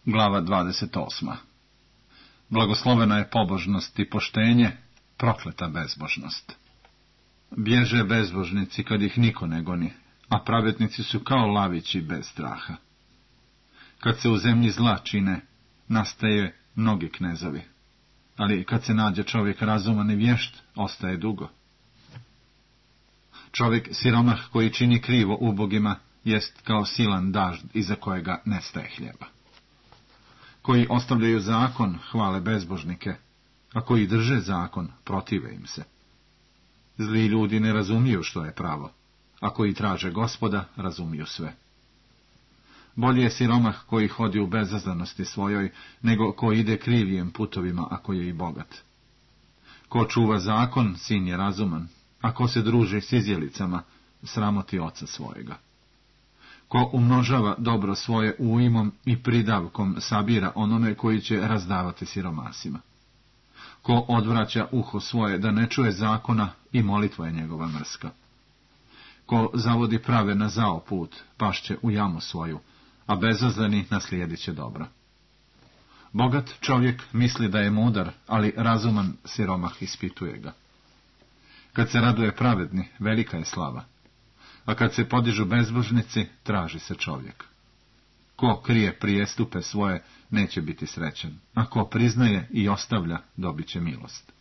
Glava 28. Blagoslovena je pobožnost i poštenje, prokleta bezbožnost. Bježe bezbožnici kad ih niko ne goni, a pravednici su kao lavići bez straha. Kad se u zemlji zla čine, nastaje mnogi knezovi, ali kad se nađe čovjek razuman i vješt, ostaje dugo. Čovjek siromah koji čini krivo ubogima, jest kao silan dažd iza kojega nestaje hljeba. Koji ostavljaju zakon, hvale bezbožnike, a koji drže zakon, protive im se. Zli ljudi ne razumiju što je pravo, a koji traže Gospoda, razumiju sve. Bolje je siromah koji hodi u bezazlenosti svojoj, nego ko ide krivijim putovima, ako je i bogat. Ko čuva zakon, sin je razuman, a ko se druži s izjelicama, sramoti oca svojega. Ko umnožava dobro svoje ujmom i pridavkom, sabira onome koji će razdavati siromasima. Ko odvraća uho svoje da ne čuje zakona, i molitva je njegova mrska. Ko zavodi prave na zao put, pašće u jamu svoju, a bezazleni naslijedit će dobro. Bogat čovjek misli da je mudar, ali razuman siromah ispituje ga. Kad se raduje pravedni, velika je slava, a kad se podižu bezbožnici, traži se čovjek. Ko krije prijestupe svoje, neće biti srećan, a ko priznaje i ostavlja, dobit će milost.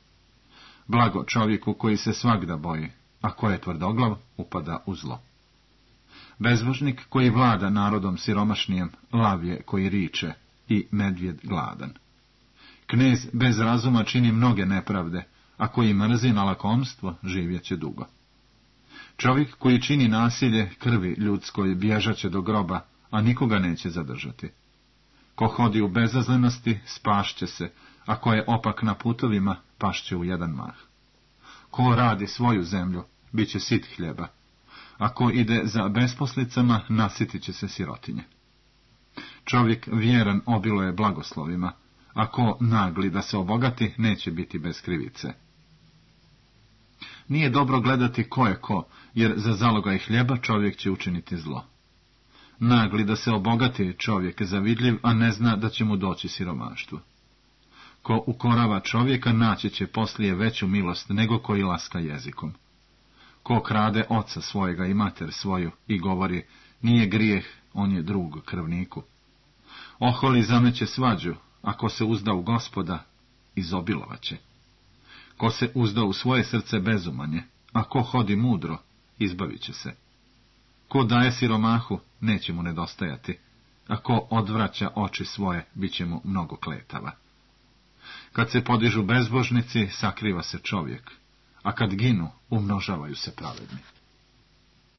Blago čovjeku koji se svagda boji, a ko je tvrdoglav, upada u zlo. Bezbožnik koji vlada narodom siromašnijem, lav je koji riče, i medvjed gladan. Knez bez razuma čini mnoge nepravde, a koji mrzi na lakomstvo, živjet će dugo. Čovjek koji čini nasilje krvi ljudskoj bježat će do groba, a nikoga neće zadržati. Ko hodi u bezazlenosti, spašće se, a ko je opak na putovima, pašće u jedan mah. Ko radi svoju zemlju, bit će sit hljeba, a ko ide za besposlicama, nasitit će se sirotinje. Čovjek vjeran obiluje blagoslovima, a ko nagli da se obogati, neće biti bez krivice. Nije dobro gledati ko je ko, jer za zalogaj hljeba čovjek će učiniti zlo. Nagli da se obogati čovjek zavidljiv, a ne zna da će mu doći siromaštvo. Ko ukorava čovjeka, naći će poslije veću milost nego koji laska jezikom. Ko krade oca svojega i mater svoju i govori, nije grijeh, on je drug krvniku. Oholi zameće svađu, a ko se uzda u Gospoda, izobilovaće. Ko se uzda u svoje srce bezumanje, a ko hodi mudro, izbavit će se. Ko daje siromahu, neće mu nedostajati, a ko odvraća oči svoje, bit će mu mnogo kletava. Kad se podižu bezbožnici, sakriva se čovjek, a kad ginu, umnožavaju se pravedni.